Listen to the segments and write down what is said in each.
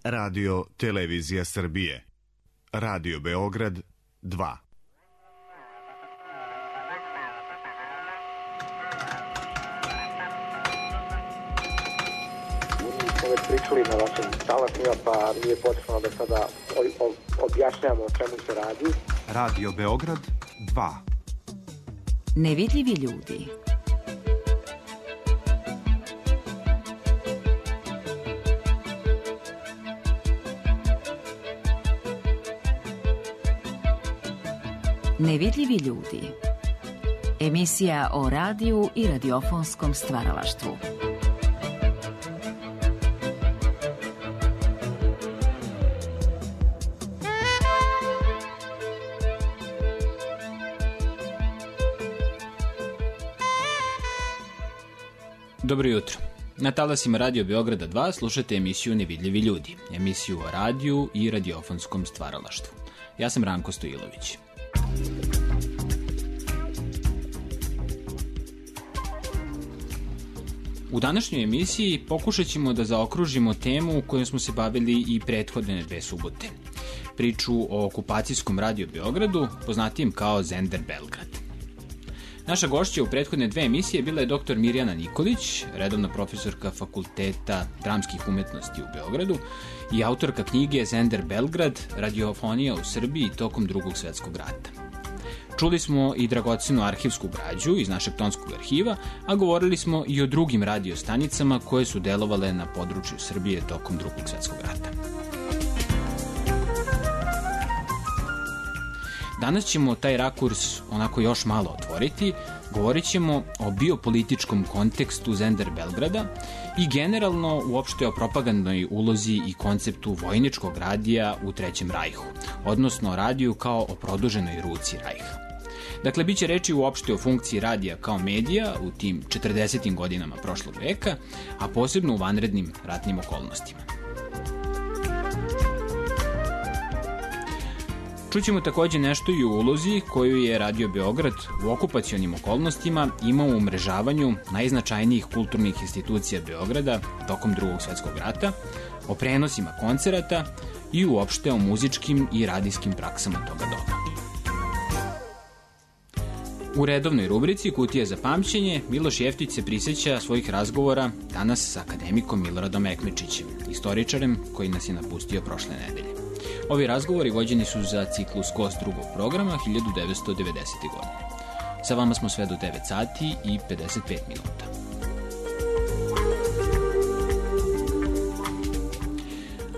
Radio Televizija Srbije. Radio Beograd 2. Već pričali na vašim talasima, pa nije potrebno da sada objašnjamo o čemu se radi. Radio Beograd 2. Nevidljivi ljudi. Nevidljivi ljudi. Emisija o radiju i radiofonskom stvaralaštvu. Dobro jutro. Na talasima Radio Beograda 2 slušate emisiju Nevidljivi ljudi, emisiju o radiju i radiofonskom stvaralaštvu. Ja sam Ranko Stojilović. U današnjoj emisiji pokušat ćemo da zaokružimo temu kojom smo se bavili i prethodne 2 subote. Priču o okupacijskom Radio Beogradu, poznatijem kao Zender Belgrad. Naša gošća u prethodne 2 emisije bila je dr. Mirjana Nikolić, redovna profesorka Fakulteta dramskih umetnosti u Beogradu i autorka knjige Zender Belgrad, radiofonija u Srbiji tokom Drugog svetskog rata. Čuli smo i dragocenu arhivsku građu iz našeg tonskog arhiva, a govorili smo i o drugim radiostanicama koje su delovale na području Srbije tokom Drugog svetskog rata. Danas ćemo taj rakurs onako još malo otvoriti, govorit ćemo o biopolitičkom kontekstu Zender Belgrada i generalno uopšte o propagandnoj ulozi i konceptu vojničkog radija u Trećem rajhu, odnosno o radiju kao o produženoj ruci rajha. Dakle, bit će reči uopšte o funkciji radija kao medija u tim 40. godinama prošlog veka, a posebno u vanrednim ratnim okolnostima. Čućemo takođe nešto i o ulozi koju je Radio Beograd u okupacionim okolnostima imao u umrežavanju najznačajnijih kulturnih institucija Beograda tokom Drugog svetskog rata, o prenosima koncerata i uopšte o muzičkim i radijskim praksama toga doba. U redovnoj rubrici Kutija za pamćenje Miloš Jeftić se prisjeća svojih razgovora danas sa akademikom Miloradom Ekmečićem, istoričarem koji nas je napustio prošle nedelje. Ovi razgovori vođeni su za ciklus Gost drugog programa 1990. godine. Sa vama smo sve do 9 sati i 55 minuta.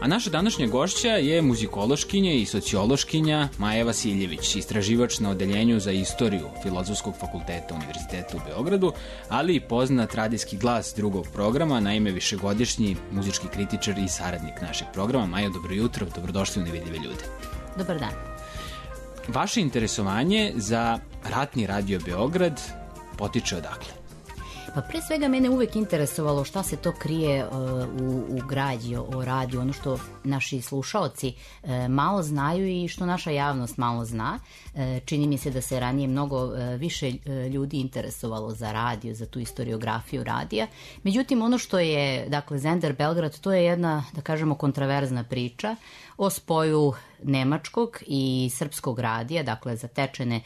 A naša današnja gošća je muzikološkinja i sociološkinja Maja Vasiljević, istraživač na odeljenju za istoriju Filozofskog fakulteta Univerziteta u Beogradu, ali i poznat radijski glas drugog programa, naime višegodišnji muzički kritičar i saradnik našeg programa. Maja, dobro jutro, dobrodošli u Nevidljive ljude. Dobar dan. Vaše interesovanje za ratni Radio Beograd potiče odakle? Pa pre svega mene uvek interesovalo šta se to krije u građi o radiju, ono što naši slušaoci malo znaju i što naša javnost malo zna. Čini mi se da se ranije mnogo više ljudi interesovalo za radio, za tu istoriografiju radija. Međutim, ono što je, dakle, Zender Belgrad, to je jedna, da kažemo, kontraverzna priča o spoju nemačkog i srpskog radija, dakle zatečene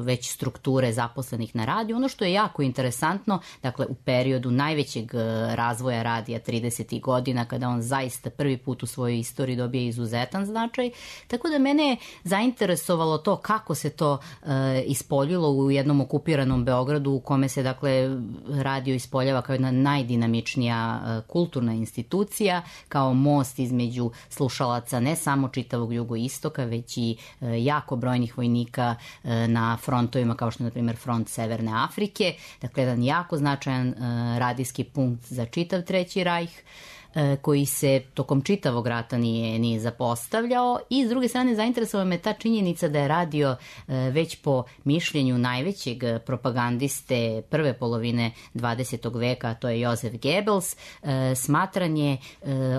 već strukture zaposlenih na radiju. Ono što je jako interesantno, dakle u periodu najvećeg razvoja radija 30. godina, kada on zaista prvi put u svojoj istoriji dobije izuzetan značaj, tako da mene je zainteresovalo to kako se to ispoljilo u jednom okupiranom Beogradu u kome se, dakle, radio ispoljava kao jedna najdinamičnija kulturna institucija, kao most između slušalaca ne samo čitavog jugoistoka, već i jako brojnih vojnika na frontovima kao što je, na primjer, front Severne Afrike. Dakle, jedan jako značajan radijski punkt za čitav Treći rajh, koji se tokom čitavog rata nije zapostavljao, i s druge strane zainteresovao me ta činjenica da je radio već po mišljenju najvećeg propagandiste prve polovine 20. veka, a to je Josef Goebbels, smatran je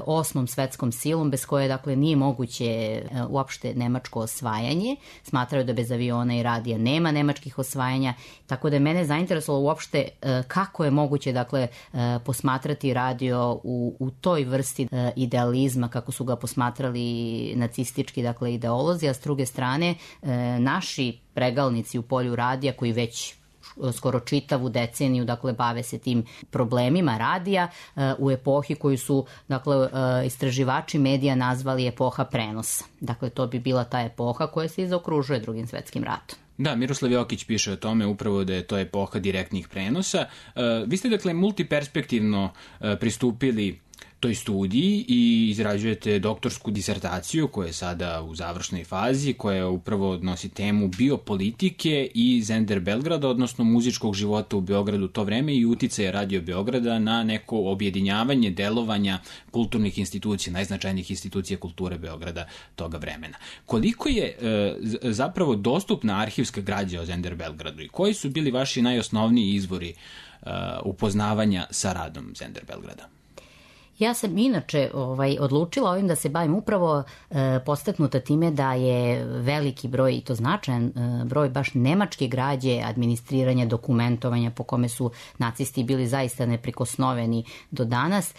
osmom svetskom silom bez koje, dakle, nije moguće uopšte nemačko osvajanje. Smatraju da bez aviona i radija nema nemačkih osvajanja, tako da je mene zainteresovalo uopšte kako je moguće, dakle, posmatrati radio u toj vrsti idealizma kako su ga posmatrali nacistički, dakle, ideolozi, a s druge strane naši pregalnici u polju radija koji već skoro čitavu deceniju, dakle, bave se tim problemima radija u epohi koju su, dakle, istraživači medija nazvali epoha prenosa. Dakle, to bi bila ta epoha koja se zaokružuje Drugim svetskim ratom. Da, Miroslav Jokić piše o tome upravo da je to epoha direktnih prenosa. Vi ste, dakle, multiperspektivno pristupili toj studiji i izrađujete doktorsku disertaciju koja je sada u završnoj fazi, koja upravo nosi temu biopolitike i Zender Belgrada, odnosno muzičkog života u Beogradu u to vreme i uticaje Radio Beograda na neko objedinjavanje delovanja kulturnih institucija, najznačajnijih institucija kulture Beograda toga vremena. Koliko je zapravo dostupna arhivska građa o Zender Belgradu i koji su bili vaši najosnovniji izvori upoznavanja sa radom Zender Belgrada? Ja sam inače odlučila ovim da se bavim upravo podstaknuta time da je veliki broj, i to značajan broj, baš nemačke građe, administriranja, dokumentovanja po kome su nacisti bili zaista neprikosnoveni do danas,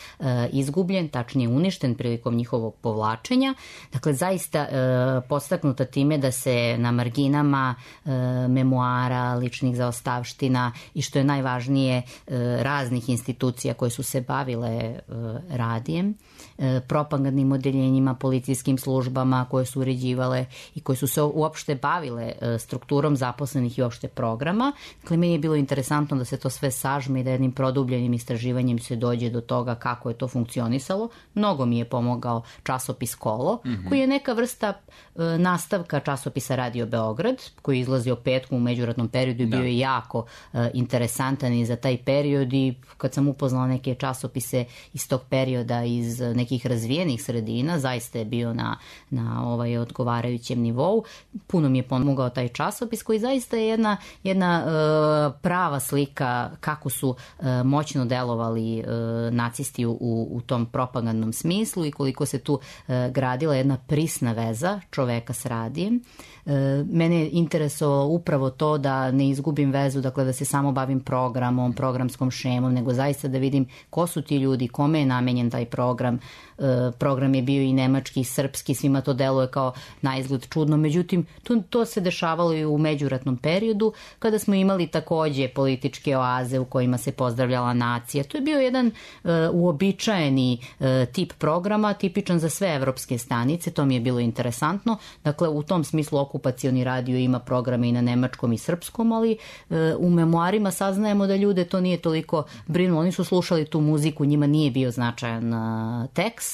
izgubljen, tačnije uništen prilikom njihovog povlačenja. Dakle, zaista podstaknuta time da se na marginama memoara, ličnih zaostavština i što je najvažnije raznih institucija koje su se bavile radijem, propagandnim odeljenjima, policijskim službama koje su uređivale i koje su se uopšte bavile strukturom zaposlenih i uopšte programa. Dakle, meni je bilo interesantno da se to sve sažme i da jednim produbljenim istraživanjem se dođe do toga kako je to funkcionisalo. Mnogo mi je pomogao časopis Kolo, koji je neka vrsta nastavka časopisa Radio Beograd, koji je izlazio petkom u međuratnom periodu i bio je jako interesantan i za taj period, i kad sam upoznala neke časopise iz tog perioda iz nekih razvijenih sredina, zaista je bio na odgovarajućem nivou. Puno mi je pomogao taj časopis koji zaista je jedna prava slika kako su moćno delovali nacisti u tom propagandnom smislu i koliko se tu gradila jedna prisna veza čoveka s radijem. Mene je interesovalo upravo to da ne izgubim vezu, dakle da se samo bavim programom, programskom šemom, nego zaista da vidim ko su ti ljudi, kome je namenjen taj program. Program je bio i nemački i srpski, svima to deluje kao naizgled čudno, međutim to se dešavalo i u međuratnom periodu kada smo imali takođe političke oaze u kojima se pozdravljala nacija. To je bio jedan uobičajeni tip programa, tipičan za sve evropske stanice, to mi je bilo interesantno. Dakle, u tom smislu okupacioni radio ima programe i na nemačkom i srpskom, ali u memoarima saznajemo da ljude to nije toliko brinulo. Oni su slušali tu muziku, njima nije bio značajan tekst.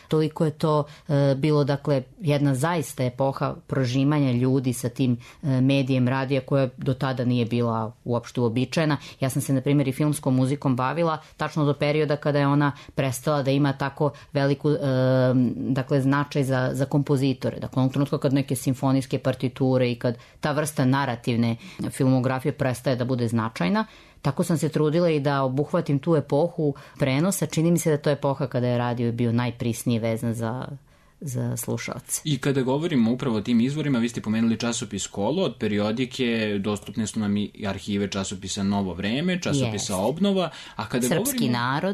Toliko je to bilo, dakle, jedna zaista epoha prožimanja ljudi sa tim medijem radija koja do tada nije bila uopšte uobičajena. Ja sam se, na primjer, i filmskom muzikom bavila tačno do perioda kada je ona prestala da ima tako veliku značaj za kompozitore. Dakle, onog trenutka kad neke simfonijske partiture i kad ta vrsta narativne filmografije prestaje da bude značajna, tako sam se trudila i da obuhvatim tu epohu prenosa. Čini mi se da to je epoha kada je radio bio najprisnije vezan za slušalce. I kada govorimo upravo o tim izvorima, vi ste pomenuli časopis Kolo, od periodike dostupne su nam i arhive časopisa Novo vreme, časopisa Obnova, a kada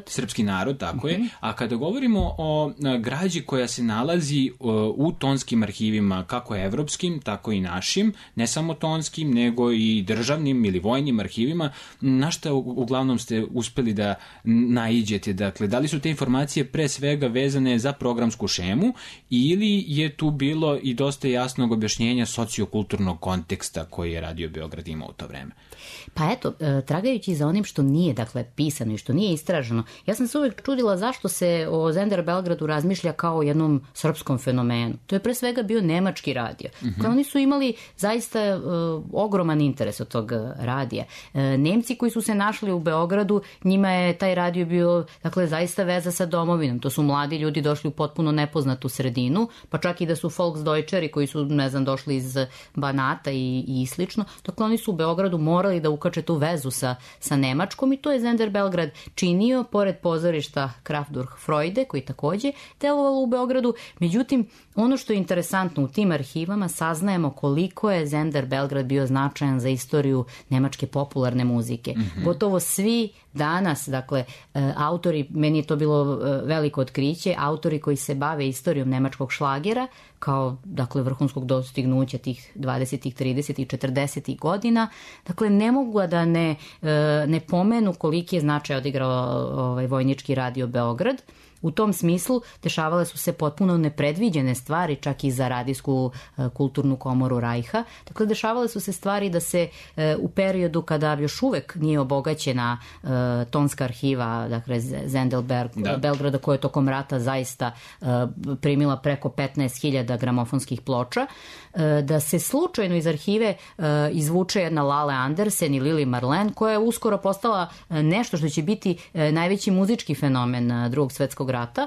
Srpski narod, tako je. A kada govorimo o građi koja se nalazi u tonskim arhivima, kako evropskim, tako i našim, ne samo tonskim, nego i državnim ili vojnim arhivima, na šta uglavnom ste uspeli da naiđete? Dakle, da li su te informacije pre svega vezane za programsku šemu ili je tu bilo i dosta jasnog objašnjenja sociokulturnog konteksta koji je Radio Beograd imao u to vreme? Pa eto, tragajući za onim što nije, dakle, pisano i što nije istraženo, ja sam se uvijek čudila zašto se o Zender Belgradu razmišlja kao o jednom srpskom fenomenu. To je pre svega bio nemački radio. Dakle, oni su imali zaista ogroman interes od tog radija. Nemci koji su se našli u Beogradu, njima je taj radio bio, dakle, zaista veza sa domovinom. To su mladi ljudi došli u potpuno nepoznatu sredinu, pa čak i da su Volksdeutscheri koji su, ne znam, došli iz Banata i slično. Dakle, oni su u Beogradu morali da ukače tu vezu sa Nemačkom i to je Zender Belgrad činio, pored pozorišta Kraftwerk Freude, koji takođe delovalo u Beogradu. Međutim, ono što je interesantno, u tim arhivama saznajemo koliko je Zender Belgrad bio značajan za istoriju nemačke popularne muzike. Gotovo svi danas, dakle, autori, meni je to bilo veliko otkriće, autori koji se bave istorijom nemačkog šlagera, kao, dakle, vrhunskog dostignuća tih 20. 30. i 40. godina, dakle, ne mogu da ne pomenu koliki je značaj odigrao Vojnički radio Beograd. U tom smislu dešavale su se potpuno nepredviđene stvari, čak i za radijsku kulturnu komoru Rajha. Dakle, dešavale su se stvari da se u periodu kada još uvek nije obogaćena tonska arhiva, dakle, Zendelberg, Belgrada, koja je tokom rata zaista primila preko 15.000 gramofonskih ploča, da se slučajno iz arhive izvuče jedna Lale Andersen i Lili Marlen, koja je uskoro postala nešto što će biti najveći muzički fenomen Drugog svetskog rata,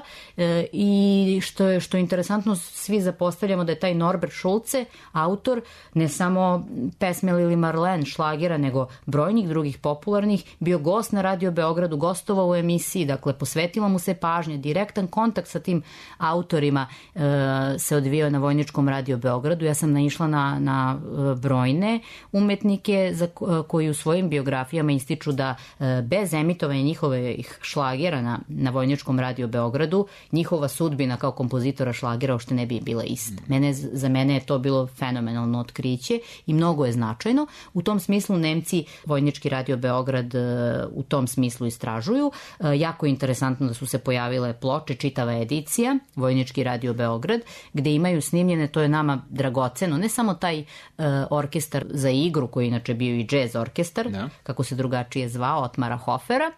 i što je interesantno, svi zapostavljamo da je taj Norbert Schulze, autor ne samo pesme Lili Marlen, šlagera, nego brojnih drugih popularnih, bio gost na Radio Beogradu, gostovao u emisiji, dakle, posvetila mu se pažnje, direktan kontakt sa tim autorima se odvijao na Vojničkom Radio Beogradu. Ja sam naišla na brojne umetnike koji u svojim biografijama ističu da bez emitovanja njihovih šlagera na Vojničkom Radio Beogradu, njihova sudbina kao kompozitora šlagera uopšte ne bi bila ista. Za mene je to bilo fenomenalno otkriće i mnogo je značajno. U tom smislu Nemci Vojnički Radio Beograd u tom smislu istražuju. Jako je interesantno da su se pojavile ploče, čitava edicija Vojnički Radio Beograd, gde imaju snimljene, to je nama dragoceno, ne samo taj orkestar za igru, koji inače bio i džez orkestar, kako se drugačije zvao, Otmara Hofera.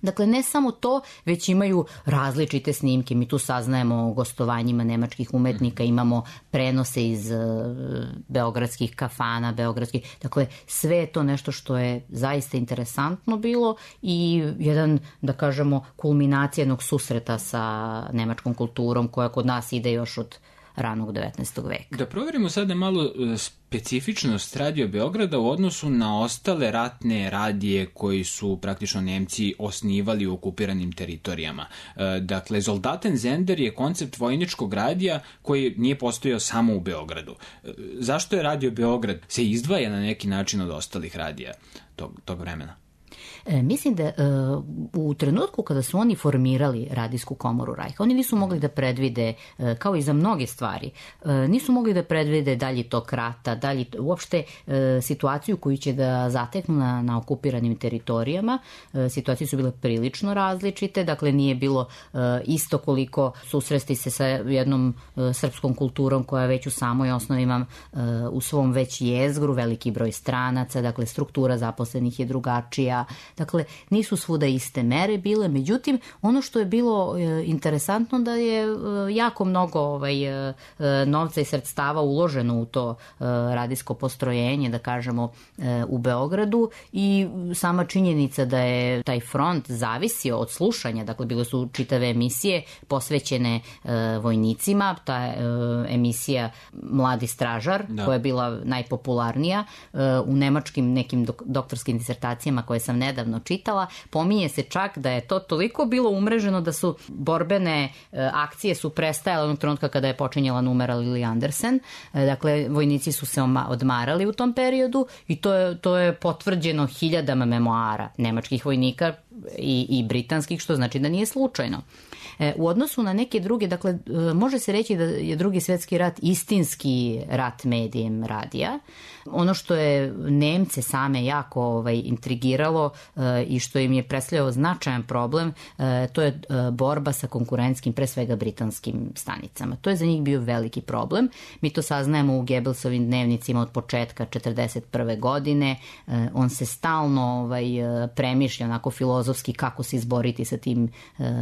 Dakle, ne samo to, već imaju različite snimke. Mi tu saznajemo o gostovanjima nemačkih umetnika, imamo prenose iz beogradskih kafana, dakle, sve je to nešto što je zaista interesantno bilo i jedan, da kažemo, kulminacija jednog susreta sa nemačkom kulturom koja kod nas ide još od ranog 19. veka. Da proverimo sada malo specifičnost Radio Beograda u odnosu na ostale ratne radije koji su praktično Nemci osnivali u okupiranim teritorijama. Dakle, Soldaten Sender je koncept vojničkog radija koji nije postojao samo u Beogradu. Zašto je Radio Beograd se izdvaja na neki način od ostalih radija tog vremena? Mislim da u trenutku kada su oni formirali radijsku komoru Rajha, oni nisu mogli da predvide, kao i za mnoge stvari, nisu mogli da predvide dalji tok rata, uopšte situaciju koju će da zateknu na okupiranim teritorijama. Situacije su bile prilično različite, dakle nije bilo isto koliko susresti se sa jednom srpskom kulturom koja već u samoj osnovi ima u svom već jezgru veliki broj stranaca, dakle struktura zaposlenih je drugačija. Dakle, nisu svuda iste mere bile, međutim, ono što je bilo interesantno da je jako mnogo novca i sredstava uloženo u to radijsko postrojenje, da kažemo, u Beogradu, i sama činjenica da je taj front zavisio od slušanja, dakle, bile su čitave emisije posvećene vojnicima, ta emisija Mladi stražar, koja je bila najpopularnija u nemačkim nekim doktorskim disertacijama koje sam nedavno čitala, pominje se čak da je to toliko bilo umreženo da su borbene akcije su prestajale onog trenutka kada je počinjala numera Lili Andersen. Dakle, vojnici su se odmarali u tom periodu i to je potvrđeno hiljadama memoara nemačkih vojnika i britanskih, što znači da nije slučajno. U odnosu na neke druge, dakle, može se reći da je Drugi svjetski rat istinski rat medijem radija. Ono što je Nemce same jako intrigiralo i što im je predstavljao značajan problem, to je borba sa konkurentskim, pre svega britanskim stanicama. To je za njih bio veliki problem. Mi to saznajemo u Goebbelsovim dnevnicima od početka 1941. godine. On se stalno premišlja onako filozofski kako se izboriti sa tim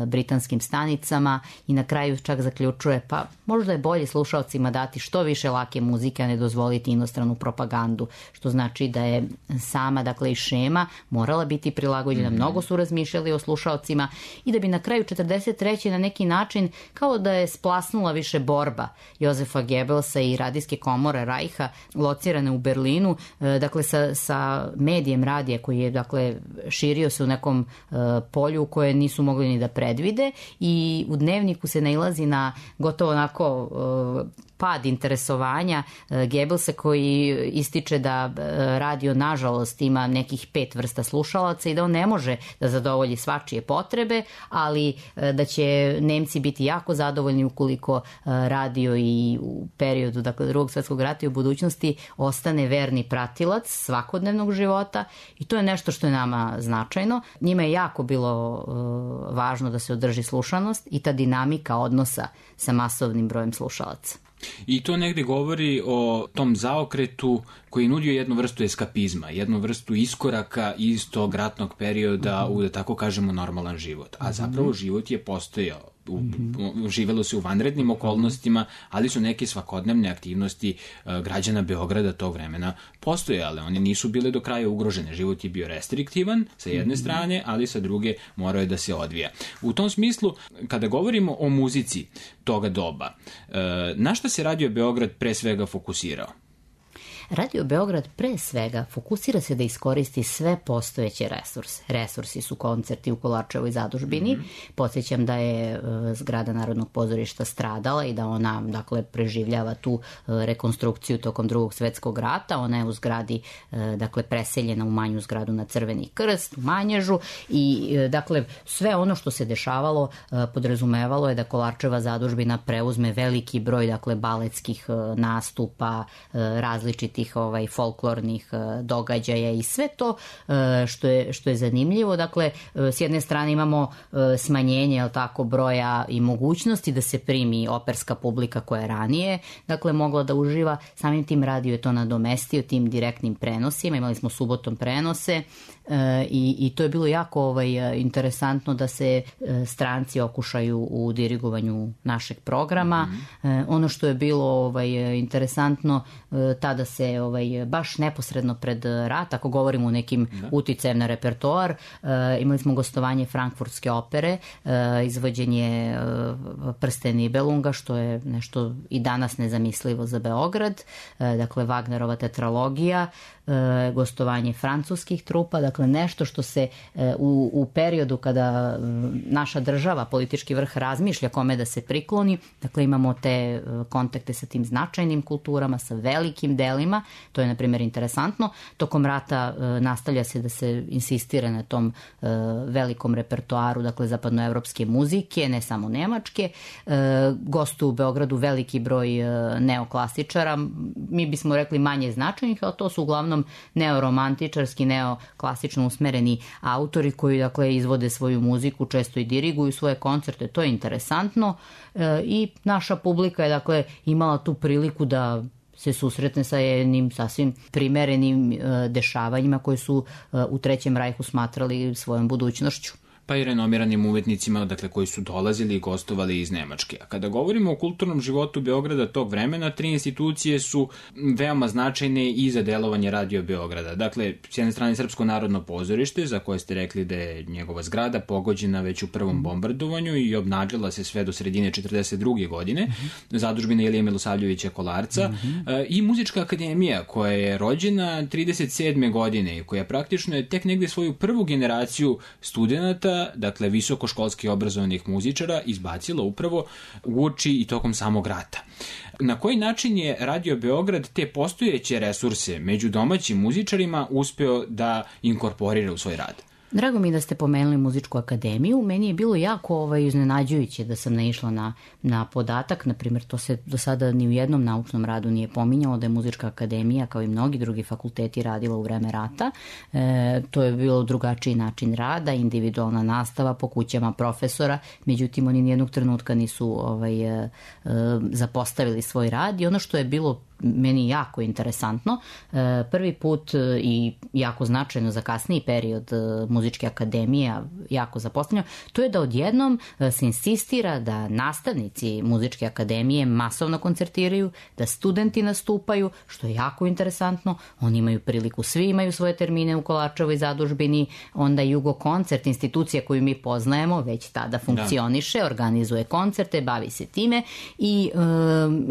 britanskim stanicama i na kraju čak zaključuje, pa možda je bolje slušalcima dati što više lake muzike, a ne dozvoliti inostranu propagandu, što znači da je sama, dakle, i šema morala biti prilagođena. Mnogo su razmišljali o slušalcima i da bi na kraju 1943. na neki način kao da je splasnula više borba Jozefa Goebbelsa i radijske komore Rajha locirane u Berlinu, dakle sa medijem radija koji je, dakle, širio se u nekom polju koje nisu mogli ni da predvide, i u dnevniku se nailazi na gotovo onako pad interesovanja Goebbelsa koji ističe da radio nažalost ima nekih 5 vrsta slušalaca i da on ne može da zadovolji svačije potrebe, ali da će Nemci biti jako zadovoljni ukoliko radio i u periodu Drugog svjetskog rata i u budućnosti ostane verni pratilac svakodnevnog života i to je nešto što je nama značajno. Njima je jako bilo važno da se održi slušanost i ta dinamika odnosa sa masovnim brojem slušalaca. I to negde govori o tom zaokretu koji je nudio jednu vrstu eskapizma, jednu vrstu iskoraka iz tog ratnog perioda u, da tako kažemo, normalan život. A zapravo život je postojao. Živelo se u vanrednim okolnostima, ali su neke svakodnevne aktivnosti građana Beograda tog vremena postojale. One nisu bile do kraja ugrožene. Život je bio restriktivan sa jedne strane, ali sa druge morao je da se odvija. U tom smislu, kada govorimo o muzici toga doba, na šta se Radio Beograd pre svega fokusirao? Radio Beograd pre svega fokusira se da iskoristi sve postojeće resurse. Resursi su koncerti u Kolarčevoj zadužbini. Podsjećam da je zgrada Narodnog pozorišta stradala i da ona, dakle, preživljava tu rekonstrukciju tokom Drugog svjetskog rata. Ona je u zgradi, dakle, preseljena u manju zgradu na Crveni krst, u Manježu i, dakle, sve ono što se dešavalo podrazumevalo je da Kolarčeva zadužbina preuzme veliki broj, dakle, baletskih nastupa, različitih folklornih događaja i sve to što je zanimljivo. Dakle, s jedne strane imamo smanjenje broja i mogućnosti da se primi operska publika koja je ranije, dakle, mogla da uživa. Samim tim radio je to nadomestio tim direktnim prenosima. Imali smo subotom prenose i to je bilo jako interesantno da se stranci okušaju u dirigovanju našeg programa. Ono što je bilo interesantno, tada se baš neposredno pred rat, ako govorimo o nekim uticajem na repertoar, imali smo gostovanje Frankfurtske opere, izvođenje Prsten Nibelunga, što je nešto i danas nezamislivo za Beograd, dakle Wagnerova tetralogija, gostovanje francuskih trupa, dakle nešto što se u periodu kada naša država, politički vrh razmišlja kome da se prikloni, dakle imamo te kontakte sa tim značajnim kulturama, sa velikim delima, to je na primjer interesantno. Tokom rata nastavlja se da se insistira na tom velikom repertoaru, dakle zapadnoevropske muzike, ne samo nemačke. Gostuju u Beogradu veliki broj neoklasičara, mi bismo rekli manje značajnih, ali to su uglavnom neoromantičarski, neoklasično usmereni autori koji, dakle, izvode svoju muziku, često i diriguju svoje koncerte. To je interesantno i naša publika je, dakle, imala tu priliku da se susretne sa jednim sasvim primerenim dešavanjima koje su u Trećem rajhu smatrali svojom budućnošću. Pa i renomiranim umetnicima, dakle, koji su dolazili i gostovali iz Nemačke. A kada govorimo o kulturnom životu Beograda tog vremena, 3 institucije su veoma značajne i za delovanje Radio Beograda. Dakle, s jedne strane Srpsko narodno pozorište, za koje ste rekli da je njegova zgrada pogođena već u prvom bombardovanju i obnadžila se sve do sredine 1942. godine, zadužbina Ilije Milosavljevića Kolarca, i Muzička akademija, koja je rođena 1937. godine i koja praktično je tek negde svoju prvu generaciju studenata, dakle visokoškolski obrazovanih muzičara, izbacila upravo uoči i tokom samog rata. Na koji način je Radio Beograd te postojeće resurse među domaćim muzičarima uspeo da inkorporira u svoj rad? Drago mi da ste pomenuli Muzičku akademiju. Meni je bilo jako iznenađujuće da sam naišla na podatak, na primjer, to se do sada ni u jednom naučnom radu nije pominjalo, da je Muzička akademija, kao i mnogi drugi fakulteti, radila u vreme rata. To je bilo drugačiji način rada, individualna nastava po kućama profesora, međutim oni nijednog trenutka nisu zapostavili svoj rad i ono što je bilo meni jako interesantno, prvi put i jako značajno za kasniji period Muzičke akademije, jako zapostavljeno, to je da odjednom se insistira da nastavnici Muzičke akademije masovno koncertiraju, da studenti nastupaju, što je jako interesantno. Oni imaju priliku, svi imaju svoje termine u Kolarčevoj zadužbini, onda Jugo koncert, institucija koju mi poznajemo, već tada funkcioniše, organizuje koncerte, bavi se time i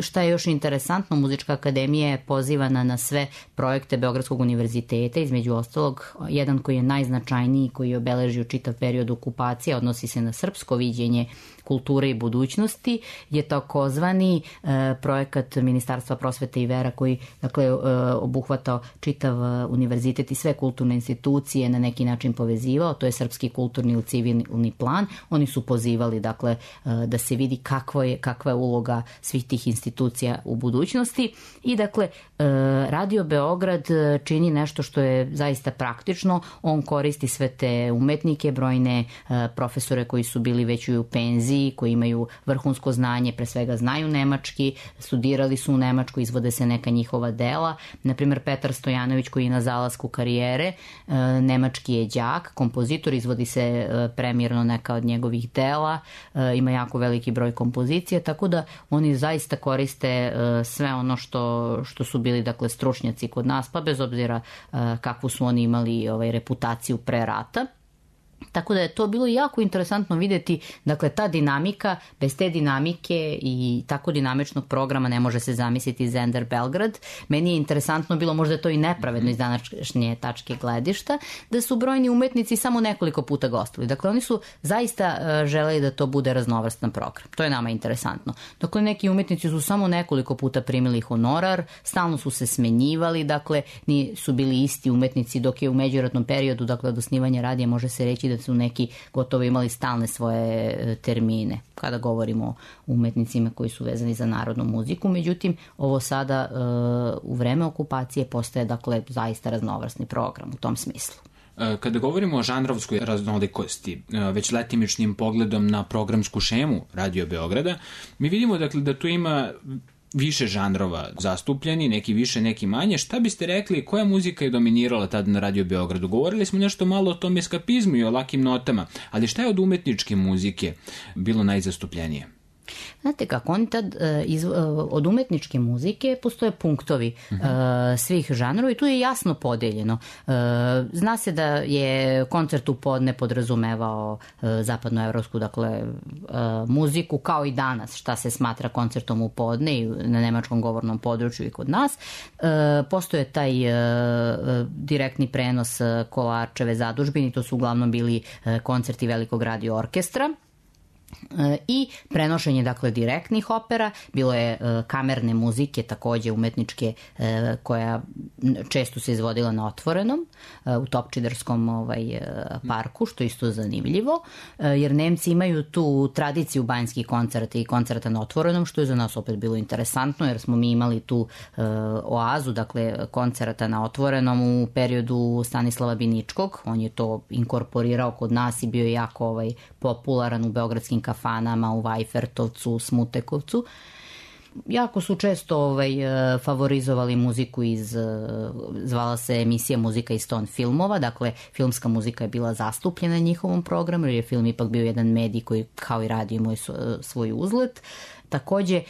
šta je još interesantno, Muzička akademija je pozivana na sve projekte Beogradskog univerziteta, između ostalog jedan koji je najznačajniji, koji je obeležio čitav period okupacije, odnosi se na srpsko viđenje kulture i budućnosti je takozvani projekat Ministarstva prosvete i vera koji dakle obuhvatao čitav univerzitet i sve kulturne institucije na neki način povezivao. To je Srpski kulturni civilni plan. Oni su pozivali dakle da se vidi kakva je uloga svih tih institucija u budućnosti i dakle Radio Beograd čini nešto što je zaista praktično. On koristi sve te umetnike, brojne profesore koji su bili već u penziji, koji imaju vrhunsko znanje, pre svega znaju nemački, studirali su u Nemačkoj, izvode se neka njihova dela. Naprimjer, Petar Stojanović koji je na zalasku karijere, nemački je đak, kompozitor, izvodi se premijerno neka od njegovih dela, ima jako veliki broj kompozicija, tako da oni zaista koriste sve ono što su bili dakle stručnjaci kod nas, pa bez obzira kakvu su oni imali reputaciju pre rata. Tako da je to bilo jako interesantno vidjeti, dakle ta dinamika, bez te dinamike i tako dinamičnog programa ne može se zamisliti Zender Belgrad. Meni je interesantno bilo, možda je to i nepravedno iz današnje tačke gledišta, da su brojni umetnici samo nekoliko puta gostili. Dakle, oni su zaista želeli da to bude raznovrstan program. To je nama interesantno. Dakle, neki umetnici su samo nekoliko puta primili honorar, stalno su se smenjivali, dakle, nisu bili isti umetnici, dok je u međuratnom periodu, dakle, od osnivanja radija može se reći da su neki gotovo imali stalne svoje termine kada govorimo o umetnicima koji su vezani za narodnu muziku. Međutim, ovo sada u vreme okupacije postaje dakle zaista raznovrsni program u tom smislu. Kada govorimo o žanrovskoj raznolikosti, već letimičnim pogledom na programsku šemu Radio Beograda, mi vidimo dakle da tu ima više žanrova zastupljeni, neki više, neki manje. Šta biste rekli, koja muzika je dominirala tada na Radio Beogradu? Govorili smo nešto malo o tom eskapizmu i o lakim notama, ali šta je od umetničke muzike bilo najzastupljenije? Znate kako, oni tad od umetničke muzike postoje punktovi svih žanrova i tu je jasno podeljeno. Zna se da je koncert u podne podrazumevao zapadnoevropsku dakle, muziku, kao i danas šta se smatra koncertom u podne i na nemačkom govornom području i kod nas. Postoje taj direktni prenos Kolarčeve zadužbine, to su uglavnom bili koncerti Velikog radio orkestra. I prenošenje dakle direktnih opera, bilo je kamerne muzike takođe umetničke koja često se izvodila na otvorenom u Topčiderskom parku, što je isto zanimljivo jer Nemci imaju tu tradiciju banjskih koncerta i koncerta na otvorenom, što je za nas opet bilo interesantno jer smo mi imali tu oazu dakle koncerta na otvorenom u periodu Stanislava Biničkog. On je to inkorporirao kod nas i bio je jako popularan u beogradskim kafanama, u Vajfertovcu, Smutekovcu. Jako su često favorizovali muziku zvala se emisija Muzika iz ton filmova, dakle filmska muzika je bila zastupljena na njihovom programu jer je film ipak bio jedan medij koji kao i radio imao svoj uzlet. Takođe,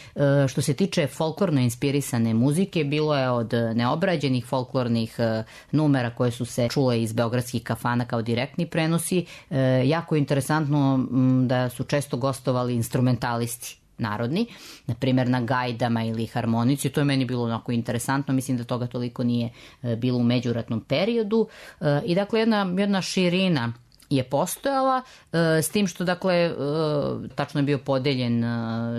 što se tiče folklorno inspirisane muzike, bilo je od neobrađenih folklornih numera koje su se čule iz beogradskih kafana kao direktni prenosi. Jako je interesantno da su često gostovali instrumentalisti narodni, na primjer na gajdama ili harmonici. To je meni bilo onako interesantno, mislim da toga toliko nije bilo u međuratnom periodu. I dakle jedna širina je postojala, s tim što dakle tačno je bio podeljen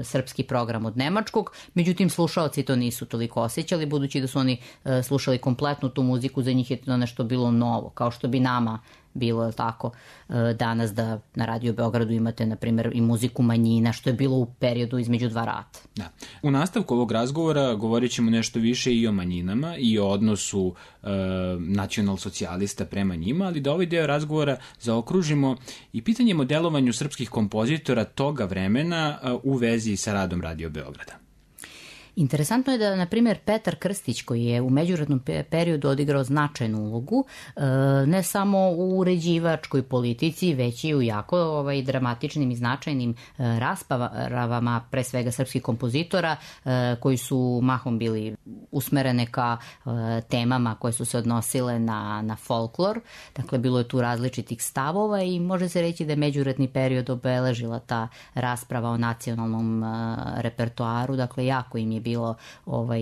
srpski program od nemačkog, međutim slušaoci to nisu toliko osjećali, budući da su oni slušali kompletnu tu muziku, za njih je to nešto bilo novo, kao što bi nama bilo tako danas da na Radio Beogradu imate, na primjer, i muziku manjina, što je bilo u periodu između dva rata. Da. U nastavku ovog razgovora govorit ćemo nešto više i o manjinama i o odnosu nacional-socijalista prema njima, ali da ovaj deo razgovora zaokružimo i pitanjem o delovanju srpskih kompozitora toga vremena u vezi sa radom Radio Beograda. Interesantno je da, na primjer, Petar Krstić, koji je u međuratnom periodu odigrao značajnu ulogu, ne samo u uređivačkoj politici, već i u jako dramatičnim i značajnim raspravama, pre svega srpskih kompozitora, koji su mahom bili usmerene ka temama koje su se odnosile na folklor. Dakle, bilo je tu različitih stavova i može se reći da je međuratni period obeležila ta rasprava o nacionalnom repertoaru. Dakle, jako im je bilo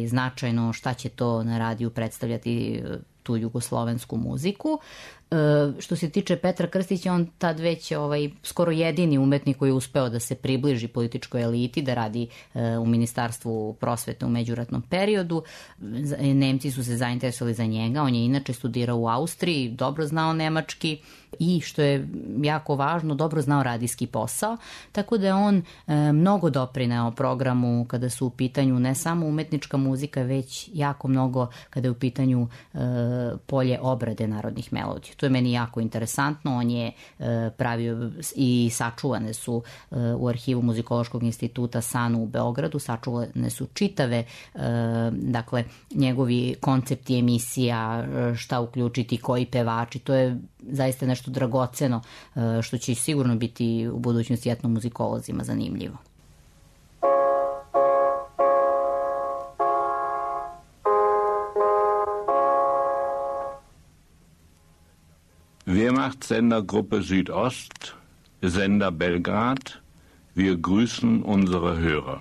značajno šta će to na radiju predstavljati tu jugoslovensku muziku. što se tiče Petra Krstića, on tad već skoro jedini umetnik koji je uspeo da se približi političkoj eliti, da radi u Ministarstvu prosvete u međuratnom periodu. Nemci su se zainteresovali za njega, on je inače studirao u Austriji, dobro znao nemački i, što je jako važno, dobro znao radijski posao, tako da je on mnogo doprineo programu kada su u pitanju ne samo umetnička muzika, već jako mnogo kada je u pitanju polje obrade narodnih melodija. To je meni jako interesantno, on je pravio i sačuvane su u arhivu Muzikološkog instituta SANU u Beogradu, sačuvane su čitave, dakle, njegovi koncepti emisija, šta uključiti, koji pevači, to je zaista nešto dragoceno što će sigurno biti u budućnosti etnomuzikolozima zanimljivo. Wehrmacht Sendergruppe Südost, Sender Belgrad, wir grüßen unsere Hörer.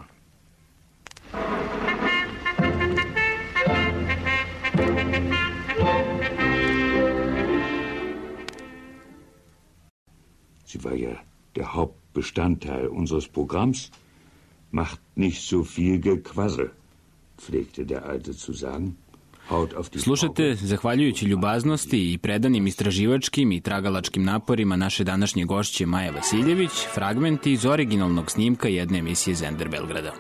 Sie war ja der Hauptbestandteil unseres Programms. Macht nicht so viel Gequassel, pflegte der Alte zu sagen. Slušate, zahvaljujući ljubaznosti i predanim istraživačkim i tragalačkim naporima naše današnje gošće Maje Vasiljević, fragmenti iz originalnog snimka jedne emisije Zender Belgrada.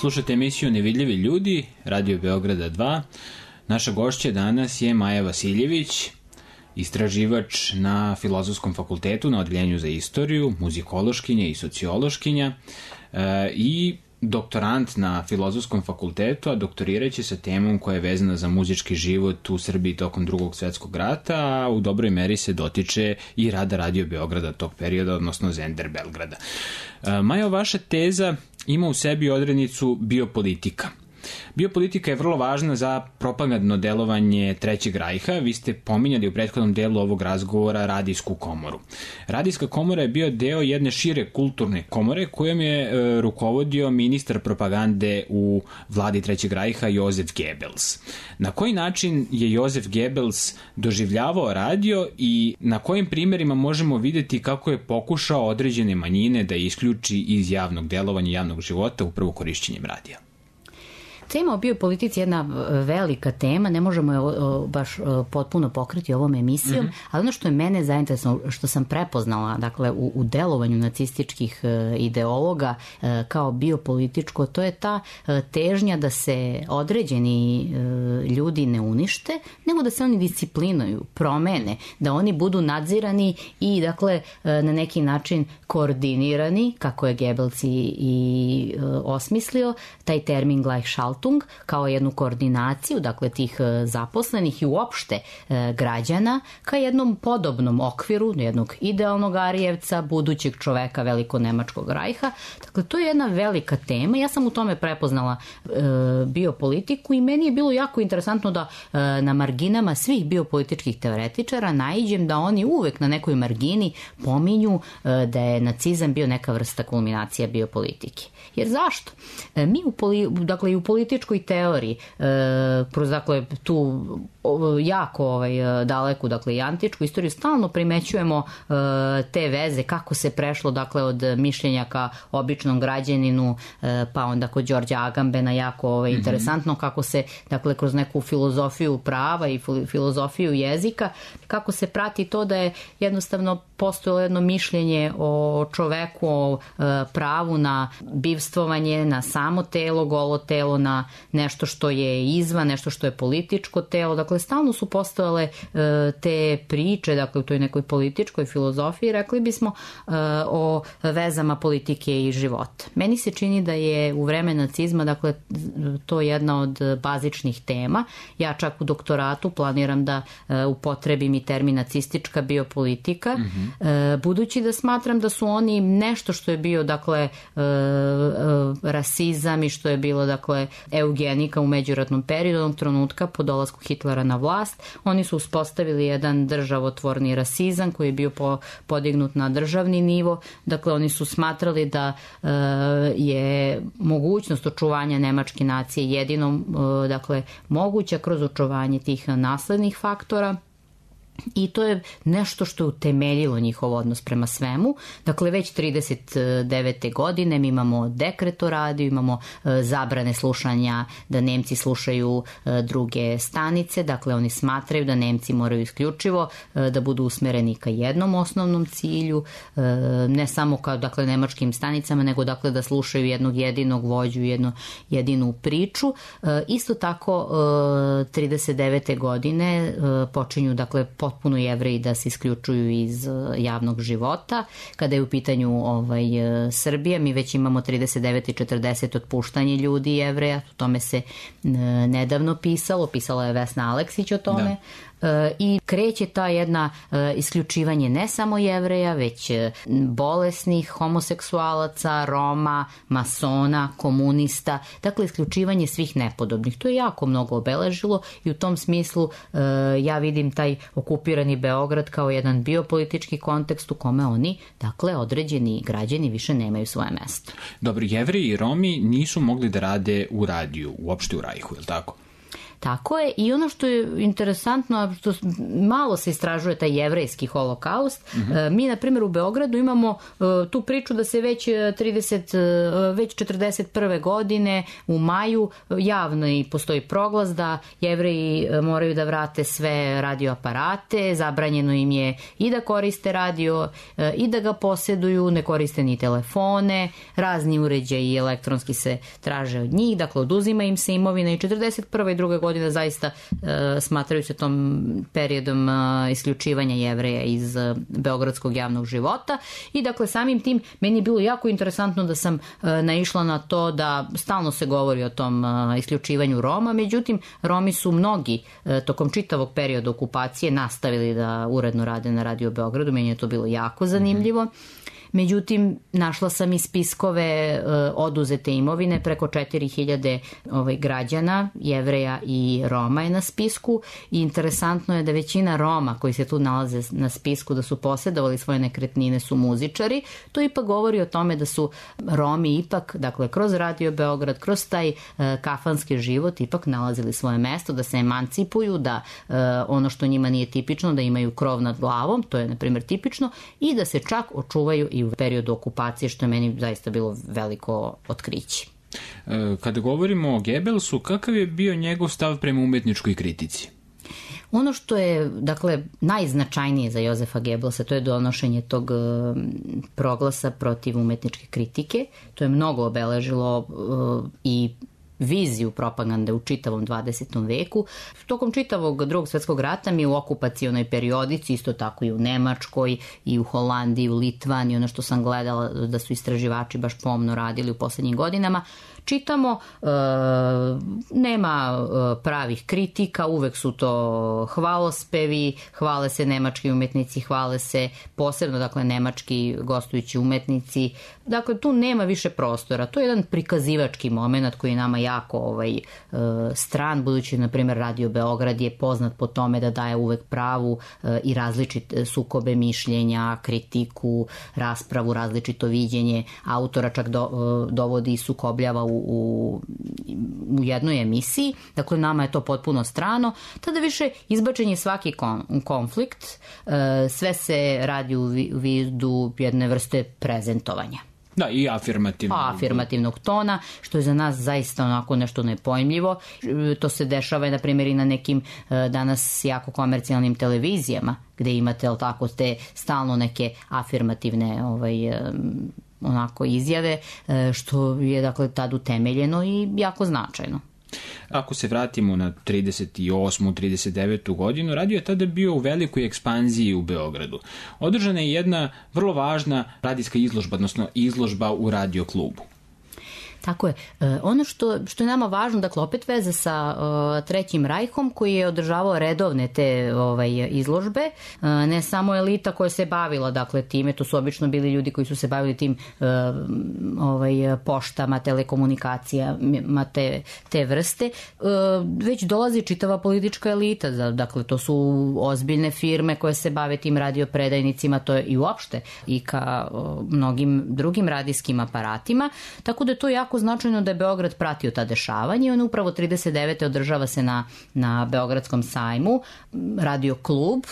Slušajte emisiju Nevidljivi ljudi, Radio Beograda 2. Naša gošća danas je Maja Vasiljević, istraživač na Filozofskom fakultetu na Odeljenju za istoriju, muzikološkinja i sociološkinja i doktorant na Filozofskom fakultetu, a doktoriraće sa temom koja je vezana za muzički život u Srbiji tokom Drugog svetskog rata, a u dobroj meri se dotiče i rada Radio Beograda tog perioda, odnosno Zender Belgrada. Majo, vaša teza ima u sebi odrednicu biopolitika. Biopolitika je vrlo važna za propagandno delovanje Trećeg rajha. Vi ste pominjali u prethodnom delu ovog razgovora radijsku komoru. Radijska komora je bio deo jedne šire kulturne komore kojom je rukovodio ministar propagande u vladi Trećeg rajha Jozef Goebbels. Na koji način je Jozef Goebbels doživljavao radio i na kojim primerima možemo videti kako je pokušao određene manjine da isključi iz javnog delovanja, javnog života upravo korišćenjem radija? Tema o biopolitici je jedna velika tema, ne možemo je baš potpuno pokriti ovom emisijom, ali ono što je mene zainteresovalo, što sam prepoznala, dakle, u delovanju nacističkih ideologa kao biopolitičko, to je ta težnja da se određeni ljudi ne unište, nego da se oni disciplinuju, promene, da oni budu nadzirani i, dakle, na neki način koordinirani, kako je Goebbels i osmislio, taj termin Gleichschaltung, Verwaltung kao jednu koordinaciju, dakle tih zaposlenih i uopšte građana ka jednom podobnom okviru, jednog idealnog Arijevca, budućeg čoveka veliko-nemačkog rajha. Dakle, to je jedna velika tema. Ja sam u tome prepoznala biopolitiku i meni je bilo jako interesantno da na marginama svih biopolitičkih teoretičara naiđem da oni uvek na nekoj margini pominju da je nacizam bio neka vrsta kulminacija biopolitike. Jer zašto? Mi dakle, i u političkoj teoriji, kroz dakle, tu jako daleku, dakle i antičku istoriju, stalno primećujemo te veze, kako se prešlo dakle od mišljenja ka običnom građaninu, pa onda kod Đorđa Agambena jako interesantno kako se dakle kroz neku filozofiju prava i filozofiju jezika, kako se prati to da je jednostavno postojalo jedno mišljenje o čoveku, o pravu na bivstvovanje, na samo telo, golo telo, na nešto što je izvan, nešto što je političko telo. Dakle, stalno su postojale te priče, dakle, u toj nekoj političkoj filozofiji, rekli bismo, o vezama politike i života. Meni se čini da je u vreme nacizma, dakle, to jedna od bazičnih tema. Ja čak u doktoratu planiram da upotrebim i termin nacistička biopolitika, budući da smatram da su oni nešto što je bio, dakle, rasizam i što je bilo, dakle, eugenika u međuratnom periodu, onog trenutka po dolasku Hitlera na vlast. Oni su uspostavili jedan državotvorni rasizam koji je bio podignut na državni nivo. Dakle, oni su smatrali da je mogućnost očuvanja nemačke nacije jedino, dakle, moguća kroz očuvanje tih naslednih faktora. I to je nešto što je utemeljilo njihov odnos prema svemu. Dakle, već 39. godine mi imamo dekret o radiju, imamo zabrane slušanja, da Nemci slušaju druge stanice. Dakle, oni smatraju da Nemci moraju isključivo da budu usmereni ka jednom osnovnom cilju, ne samo kao, dakle, nemačkim stanicama, nego, dakle, da slušaju jednog jedinog vođu, jednu jedinu priču. Isto tako, 39. godine počinju, dakle, potpuno Jevreji da se isključuju iz javnog života. Kada je u pitanju Srbija, mi već imamo 39 i 40 otpuštanje ljudi Jevreja, o tome se nedavno pisala je Vesna Aleksić o tome. Da. I kreće ta jedna isključivanje ne samo Jevreja, već bolesnih, homoseksualaca, Roma, masona, komunista, dakle isključivanje svih nepodobnih. To je jako mnogo obeležilo i u tom smislu ja vidim taj okupirani Beograd kao jedan biopolitički kontekst u kome oni, dakle, određeni građani više nemaju svoje mesto. Dobro, Jevreji i Romi nisu mogli da rade u radiju, uopšte u Rajhu, je li tako? Tako je, i ono što je interesantno, što malo se istražuje taj jevrejski holokaust, mi, na primjer, u Beogradu imamo tu priču da se već 41. godine u maju javno i postoji proglas da Jevreji moraju da vrate sve radioaparate, zabranjeno im je i da koriste radio i da ga posjeduju, ne koriste ni telefone, razni uređaji elektronski se traže od njih, dakle oduzima im se imovina i 41. i 2. godine zaista smatraju se tom periodom isključivanja Jevreja iz beogradskog javnog života i dakle samim tim meni je bilo jako interesantno da sam naišla na to da stalno se govori o tom isključivanju Roma, međutim Romi su mnogi tokom čitavog perioda okupacije nastavili da uredno rade na Radio Beogradu, meni je to bilo jako zanimljivo. Međutim, našla sam i spiskove oduzete imovine, preko 4000 građana, Jevreja i Roma je na spisku i interesantno je da većina Roma koji se tu nalaze na spisku da su posjedovali svoje nekretnine su muzičari. To ipak govori o tome da su Romi ipak, dakle, kroz Radio Beograd, kroz taj kafanski život ipak nalazili svoje mesto, da se emancipuju, da ono što njima nije tipično, da imaju krov nad glavom, to je, na primjer, tipično, i da se čak očuvaju i u periodu okupacije, što je meni zaista bilo veliko otkriće. Kada govorimo o Gebelsu, kakav je bio njegov stav prema umetničkoj kritici? Ono što je, dakle, najznačajnije za Jozefa Gebelsa, to je donošenje tog proglasa protiv umetničke kritike. To je mnogo obeležilo i viziju propagande u čitavom 20. veku. Tokom čitavog Drugog svjetskog rata mi u okupacionoj periodici, isto tako i u Nemačkoj, i u Holandiji, u Litvaniji, ono što sam gledala da su istraživači baš pomno radili u poslednjim godinama, čitamo, nema pravih kritika, uvek su to hvalospevi, hvale se nemački umetnici, hvale se posebno, dakle, nemački gostujući umetnici. Dakle, tu nema više prostora. To je jedan prikazivački moment koji je nama jako stran, budući, na primjer, Radio Beograd je poznat po tome da daje uvek pravu i različite sukobe mišljenja, kritiku, raspravu, različito viđenje autora, čak dovodi i sukobljava u jednoj emisiji. Dakle, nama je to potpuno strano. Tada više izbačen je svaki konflikt, sve se radi u vidu jedne vrste prezentovanja. Da, i afirmativnog tona, što je za nas zaista onako nešto nepojmljivo. To se dešava, na primjer, i na nekim danas jako komercijalnim televizijama, gde imate, ali tako, te stalno neke afirmativne onako izjave, što je, dakle, tad utemeljeno i jako značajno. Ako se vratimo na 38. 39. godinu, radio je tada bio u velikoj ekspanziji u Beogradu. Održana je jedna vrlo važna radijska izložba, odnosno izložba u radio klubu. Tako je. Ono što je nama važno, dakle, opet veze sa Trećim rajhom, koji je održavao redovne te izložbe, ne samo elita koja se bavila, dakle, time, to su obično bili ljudi koji su se bavili tim poštama, telekomunikacijama, te vrste, već dolazi čitava politička elita, dakle, to su ozbiljne firme koje se bave tim radiopredajnicima, to je i uopšte i ka mnogim drugim radijskim aparatima, tako da je to jako značajno da je Beograd pratio ta dešavanja i on upravo 39. održava se na Beogradskom sajmu. Radio klub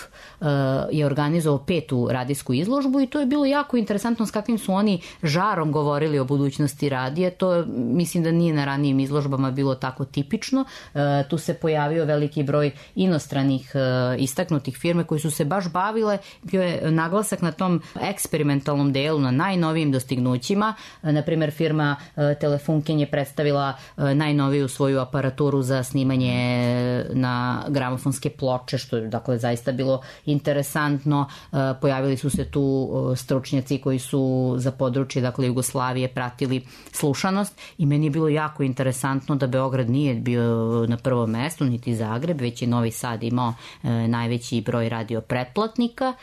je organizovao 5. radijsku izložbu i to je bilo jako interesantno s kakvim su oni žarom govorili o budućnosti radija. To mislim da nije na ranijim izložbama bilo tako tipično. Tu se pojavio veliki broj inostranih istaknutih firme koji su se baš bavile. Bio je naglasak na tom eksperimentalnom delu, na najnovijim dostignućima. Naprimjer, firma Telefunken je predstavila najnoviju svoju aparaturu za snimanje na gramofonske ploče, što je, dakle, zaista bilo interesantno. Pojavili su se tu stručnjaci koji su za područje, dakle, Jugoslavije pratili slušanost i meni je bilo jako interesantno da Beograd nije bio na prvom mestu, niti Zagreb, već je Novi Sad imao najveći broj radio pretplatnika.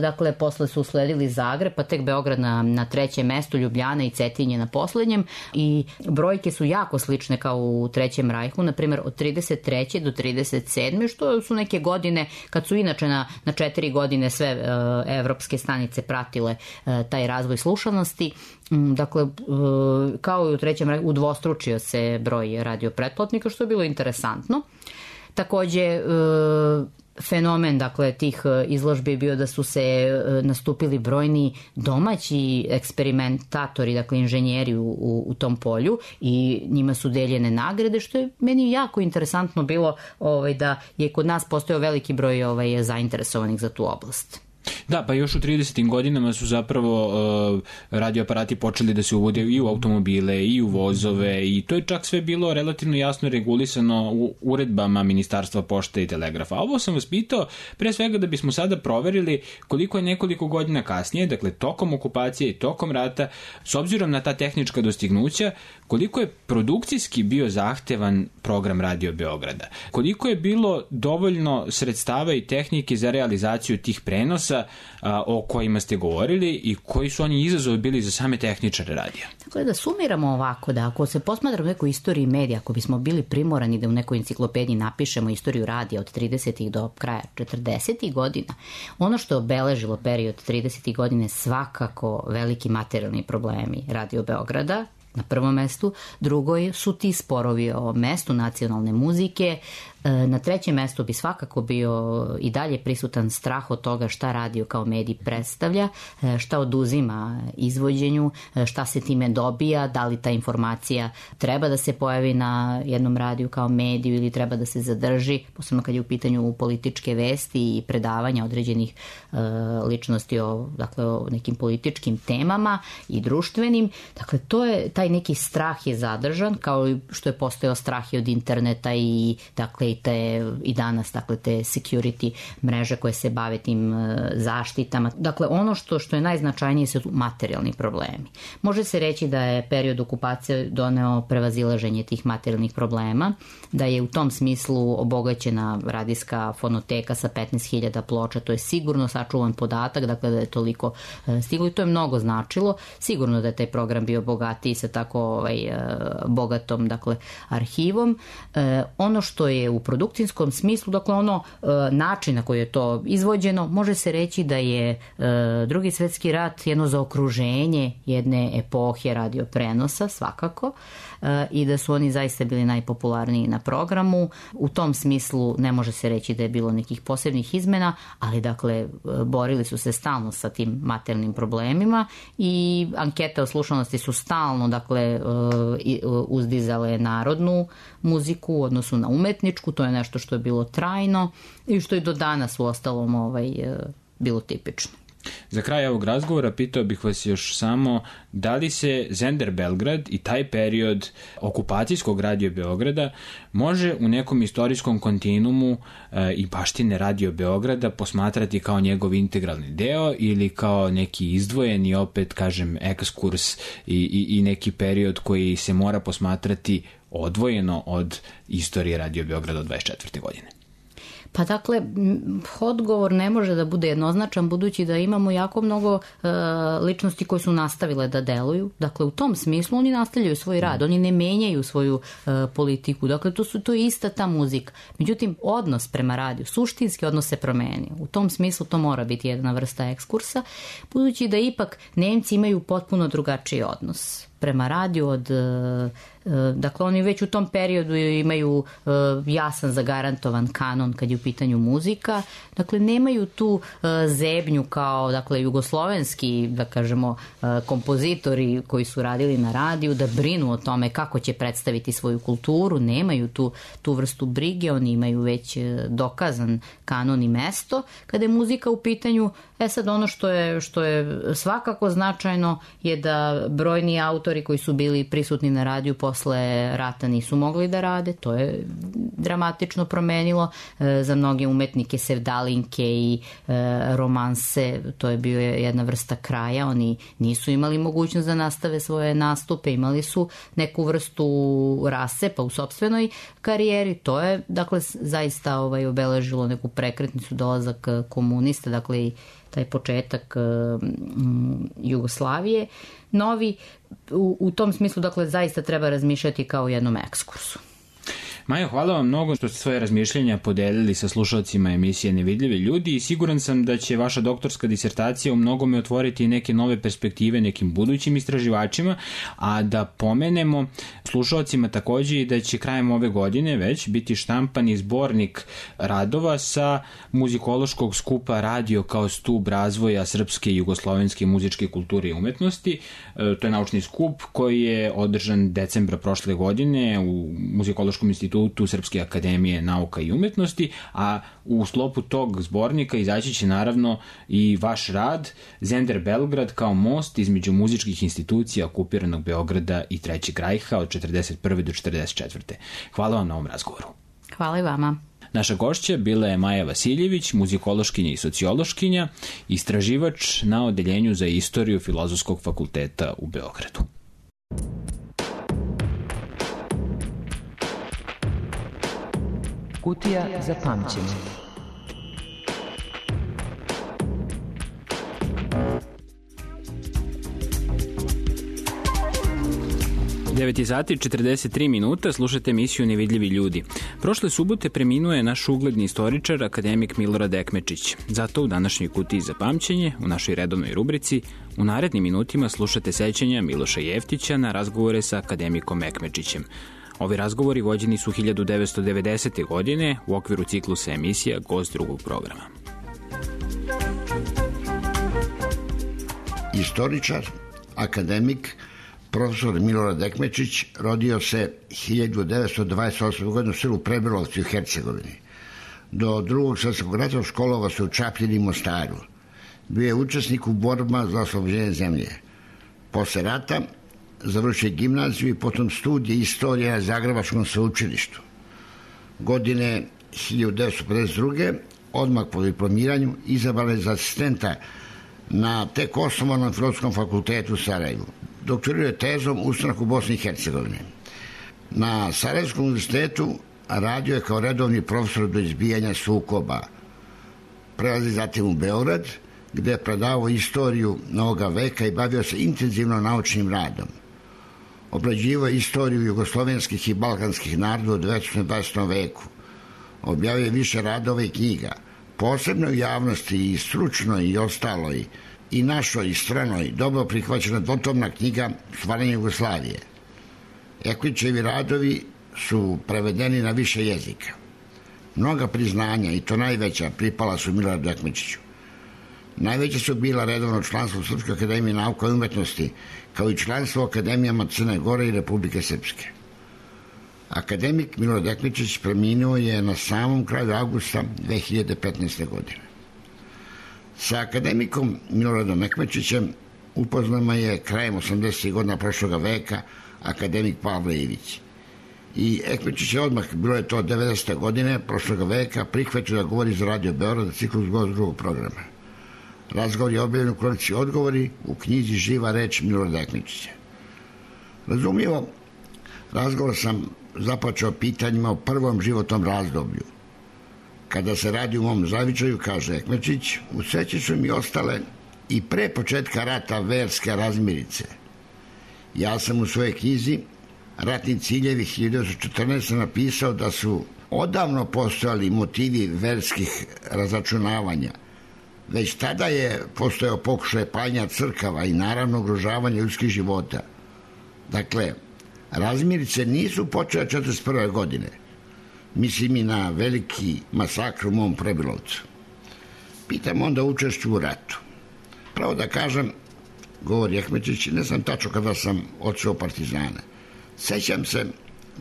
Dakle, posle su usledili Zagreb, pa tek Beograd na trećem mestu, Ljubljana i Cetinje na poslednjem i brojke su jako slične kao u Trećem rajhu, na primjer od 33. do 37. što su neke godine kad su inače na 4 godine sve evropske stanice pratile taj razvoj slušanosti. Dakle, kao i u Trećem rajhu udvostručio se broj radio pretplatnika, što je bilo interesantno. Takođe, fenomen, dakle, tih izložbi je bio da su se nastupili brojni domaći eksperimentatori, dakle, inženjeri u tom polju i njima su deljene nagrade, što je meni jako interesantno bilo da je kod nas postojao veliki broj zainteresovanih za tu oblast. Da, pa još u 30. godinama su zapravo radioaparati počeli da se uvode i u automobile i u vozove i to je čak sve bilo relativno jasno regulisano u uredbama Ministarstva pošte i telegrafa. A ovo sam vas pitao pre svega da bismo sada proverili koliko je nekoliko godina kasnije, dakle tokom okupacije i tokom rata, s obzirom na ta tehnička dostignuća, koliko je produkcijski bio zahtevan program Radio Beograda. Koliko je bilo dovoljno sredstava i tehnike za realizaciju tih prenosa o kojima ste govorili i koji su oni izazovi bili za same tehničare radija. Dakle, da sumiramo ovako, da ako se posmatra u nekoj istoriji medija, ako bismo bili primorani da u nekoj enciklopediji napišemo istoriju radija od 30. do kraja 40. godina, ono što je obeležilo period 30. godine svakako veliki materijalni problemi Radio Beograda, na prvom mestu, drugo su ti sporovi o mestu nacionalne muzike, na trećem mestu bi svakako bio i dalje prisutan strah od toga šta radio kao medij predstavlja, šta oduzima izvođenju, šta se time dobija, da li ta informacija treba da se pojavi na jednom radiju kao mediju ili treba da se zadrži, posebno kad je u pitanju političke vesti i predavanja određenih ličnosti o nekim političkim temama i društvenim. Dakle, taj neki strah je zadržan, kao što je postojao strah i od interneta i, dakle, i i danas, dakle, te security mreže koje se bave tim zaštitama. Dakle, ono što je najznačajnije su materijalni problemi. može se reći da je period okupacije doneo prevazilaženje tih materijalnih problema, da je u tom smislu obogaćena radijska fonoteka sa 15.000 ploča, to je sigurno sačuvan podatak, dakle da je toliko stiglo i to je mnogo značilo. Sigurno da je taj program bio bogatiji sa tako bogatom, dakle, arhivom. Ono što je u produkcijskom smislu, dakle ono način na koji je to izvođeno, može se reći da je Drugi svjetski rat jedno zaokruženje jedne epohe radioprenosa, svakako, i da su oni zaista bili najpopularniji na programu. U tom smislu ne može se reći da je bilo nekih posebnih izmena, ali dakle borili su se stalno sa tim materijalnim problemima i ankete o slušanosti su stalno dakle uzdizale narodnu muziku u odnosu na umetničku, to je nešto što je bilo trajno i što je do danas u ostalom bilo tipično. Za kraj ovog razgovora pitao bih vas još samo da li se Zender Belgrad i taj period okupacijskog Radio Beograda može u nekom istorijskom kontinuumu i baštine Radio Beograda posmatrati kao njegov integralni deo ili kao neki izdvojeni, opet kažem, ekskurs i neki period koji se mora posmatrati odvojeno od istorije Radio Beograda od 24. godine? Pa dakle, odgovor ne može da bude jednoznačan budući da imamo jako mnogo ličnosti koje su nastavile da deluju. Dakle, u tom smislu oni nastavljaju svoj rad, oni ne menjaju svoju politiku. Dakle, to je ista ta muzika. Međutim, odnos prema radiju, suštinski odnos se promenio. U tom smislu to mora biti jedna vrsta ekskursa, budući da ipak Nemci imaju potpuno drugačiji odnos prema radiju od... Dakle, oni već u tom periodu imaju jasan zagarantovan kanon kad je u pitanju muzika. Dakle, nemaju tu zebnju kao, dakle, jugoslovenski, da kažemo, kompozitori koji su radili na radiju, da brinu o tome kako će predstaviti svoju kulturu. Nemaju tu vrstu brige, oni imaju već dokazan kanon i mesto. Kada je muzika u pitanju, sad ono što je svakako značajno je da brojni autori koji su bili prisutni na radiju posle rata nisu mogli da rade, to je dramatično promenilo za mnoge umetnike sevdalinke i romanse, to je bio jedna vrsta kraja, oni nisu imali mogućnost da nastave svoje nastupe, imali su neku vrstu rasepa u sopstvenoj karijeri, to je dakle zaista obeležilo neku prekretnicu, dolazak komunista, dakle i taj početak Jugoslavije. Novi, u tom smislu, dakle, zaista treba razmišljati kao o jednom ekskursu. Majo, hvala vam mnogo što ste svoje razmišljenja podelili sa slušalcima emisije Nevidljivi ljudi i siguran sam da će vaša doktorska disertacija u mnogome otvoriti neke nove perspektive nekim budućim istraživačima, a da pomenemo slušalcima takođe i da će krajem ove godine već biti štampani zbornik radova sa muzikološkog skupa Radio kao stub razvoja srpske i jugoslovenske muzičke kulture i umetnosti. To je naučni skup koji je održan decembra prošle godine u Muzikološkom institutu Srpske akademije nauka i umetnosti, a u sklopu tog zbornika izaći će naravno i vaš rad Zender Belgrad kao most između muzičkih institucija okupiranog Beograda i Trećeg rajha od 41. do 44. Hvala vam na ovom razgovoru. Hvala i vama. Naša gošća bila je Maja Vasiljević, muzikološkinja i sociološkinja, istraživač na Odeljenju za istoriju Filozofskog fakulteta u Beogradu. Kutija za pamćenje. Sati 43 minuta, slušate emisiju Nevidljivi ljudi. Prošle subote preminuo je naš ugledni istoričar, akademik Milorad Ekmečić. Zato u današnjoj Kutiji za pamćenje, u našoj redovnoj rubrici, u narednim minutima slušate sećanja Miloša Jeftića na razgovore sa akademikom Ekmečićem. Ovi razgovori vođeni su 1990. godine u okviru ciklusa emisija Gost drugog programa. Istoričar, akademik, profesor Milorad Ekmečić rodio se 1928. godine u selu Prebilovci u Hercegovini. Do drugog svjetskog rata školovao se u Čapljini i Mostaru. Bio je učesnik u borbama za oslobođenje zemlje. Posle rata završio gimnaziju i potom studije istorije na Zagrebačkom sveučilištu. Godine 1952. odmah po diplomiranju izabran je za asistenta na tek osnovanom Filozofskom fakultetu u Sarajevu. Doktorirao je tezom Ustanak u Bosni i Hercegovini. Na Sarajevskom univerzitetu radio je kao redovni profesor do izbijanja sukoba. Prelazi zatim u Beograd, gde je predavao istoriju novoga veka i bavio se intenzivno naučnim radom. Obrađivao je istoriju jugoslovenskih i balkanskih naroda u 19. i 20. veku. Objavio je više radova i knjiga, posebno u javnosti i stručnoj i ostaloj, i našoj i stranoj, dobro prihvaćena dvotomna knjiga Stvaranje Jugoslavije. Ekličevi radovi su prevedeni na više jezika. Mnoga priznanja, i to najveća, pripala su Miloradu Ekmečiću. Najveće su bila redovno članstvo u Srpskoj akademiji nauka i umetnosti, kao i članstvo u akademijama Crne Gore i Republike Srpske. Akademik Milorad Ekmečić preminuo je na samom kraju avgusta 2015. godine. Sa akademikom Miloradom Ekmečićem upoznama je krajem 80. godina prošloga veka akademik Pavle Ivić. I Ekmečić je odmah, bilo je to 90. godine prošloga veka, prihvatio da govori za Radio Beograd ciklus drugog programa. Razgovor je objavljen u kolekciji Odgovori u knjizi Živa reč Milorada Ekmečića. Razumljivo, razgovor sam započeo pitanjima o prvom životnom razdoblju. Kada se radi u mom zavičaju, kaže Ekmečić, u seći su mi ostale i pre početka rata verske razmirice. Ja sam u svojoj knjizi Ratni ciljevi 1914. napisao da su odavno postojali motivi verskih razračunavanja. Već tada je postojao pokušaj paljenja crkava i naravno ugrožavanje ljudskih života. Dakle, razmirice nisu počele 1941. godine. Mislim i na veliki masakr u mom Prebilovcu. Pitam onda učešću u ratu. Pravo da kažem, govori Ekmečić, ne znam tačno kada sam otišao partizane. Sećam se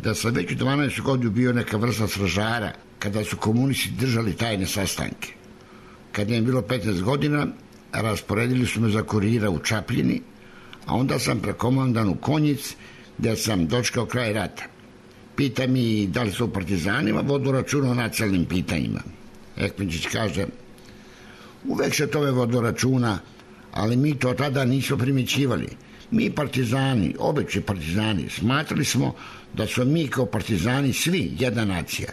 da sam već u 12. godinu bio neka vrsta stražara kada su komunisti držali tajne sastanke. Kad je bilo 15 godina, rasporedili su me za kurira u Čapljini, a onda sam prekomandan u Konjic, gde sam dočekao kraj rata. Pita mi da li su u partizanima vodu računa o nacionalnim pitanjima. Ekmečić kaže, uvek se tome vodu računa, ali mi to tada nismo primjećivali. Mi partizani, obični partizani, smatrali smo da smo mi kao partizani svi jedna nacija.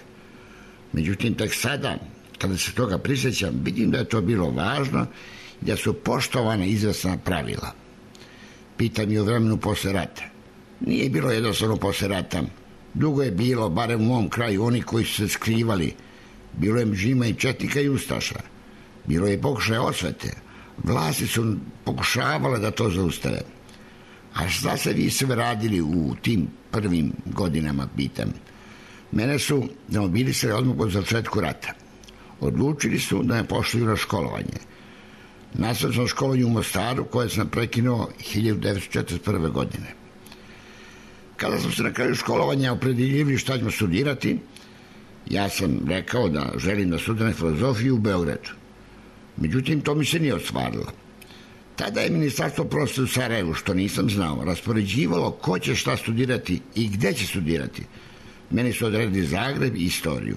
Međutim, tek sada, kada se toga prisjećam, vidim da je to bilo važno i da su poštovana izvesna pravila. Pitam i o vremenu posle rata. Nije bilo jednostavno posle rata. Dugo je bilo, barem u mom kraju, oni koji su se skrivali. Bilo je mžima i četnika i ustaša. Bilo je pokušaja osvete. Vlasti su pokušavale da to zaustave. A šta se vi sve radili u tim prvim godinama, pitam. Mene su demobilisali odmah po začetku rata. Odlučili su da me pošalju na školovanje. Nastavio sam školovanje u Mostaru, koje sam prekinuo 1941. godine. Kada sam se na kraju školovanja opredeljivali šta ćemo studirati, ja sam rekao da želim da studiram filozofiju u Beogradu. Međutim, to mi se nije ostvarilo. Tada je Ministarstvo prosvete u Sarajevu, što nisam znao, raspoređivalo ko će šta studirati i gde će studirati. Meni su odredili Zagreb i istoriju.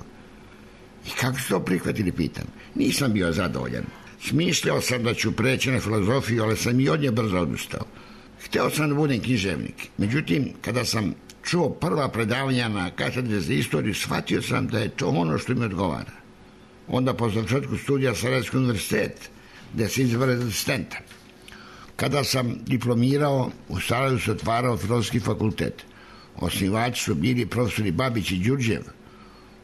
I kako su to prihvatili, pitam. Nisam bio zadovoljan. Smišljao sam da ću preći na filozofiju, ali sam i od nje brzo odustao. Hteo sam da budem književnik. Međutim, kada sam čuo prva predavanja na katedri za istoriju, shvatio sam da je to ono što mi odgovara. Onda po završetku studija Sarajevski univerzitet, gde se izabere za asistenta. Kada sam diplomirao, u Sarajevu se otvarao Filozofski fakultet. Osnivači su bili profesori Babić i Đurđev.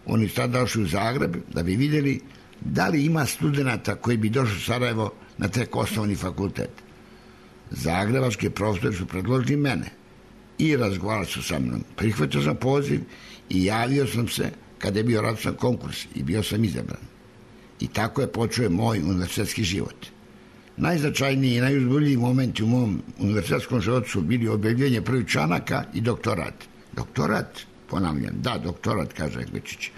Oni su tada došli u Zagreb da bi vidjeli da li ima studenta koji bi došli u Sarajevo na tek osnovni fakultet. Zagrebački profesori su predložili mene i razgovarali su sa mnom. Prihvatio sam poziv i javio sam se kada je bio raspisan konkurs i bio sam izabran. I tako je počeo moj univerzitetski život. Najznačajniji i najuzbudljiviji momenti u mom univerzitetskom životu su bili objavljivanje prvih članaka i doktorat. Doktorat, ponavljam, da, doktorat, kaže Ekmečić.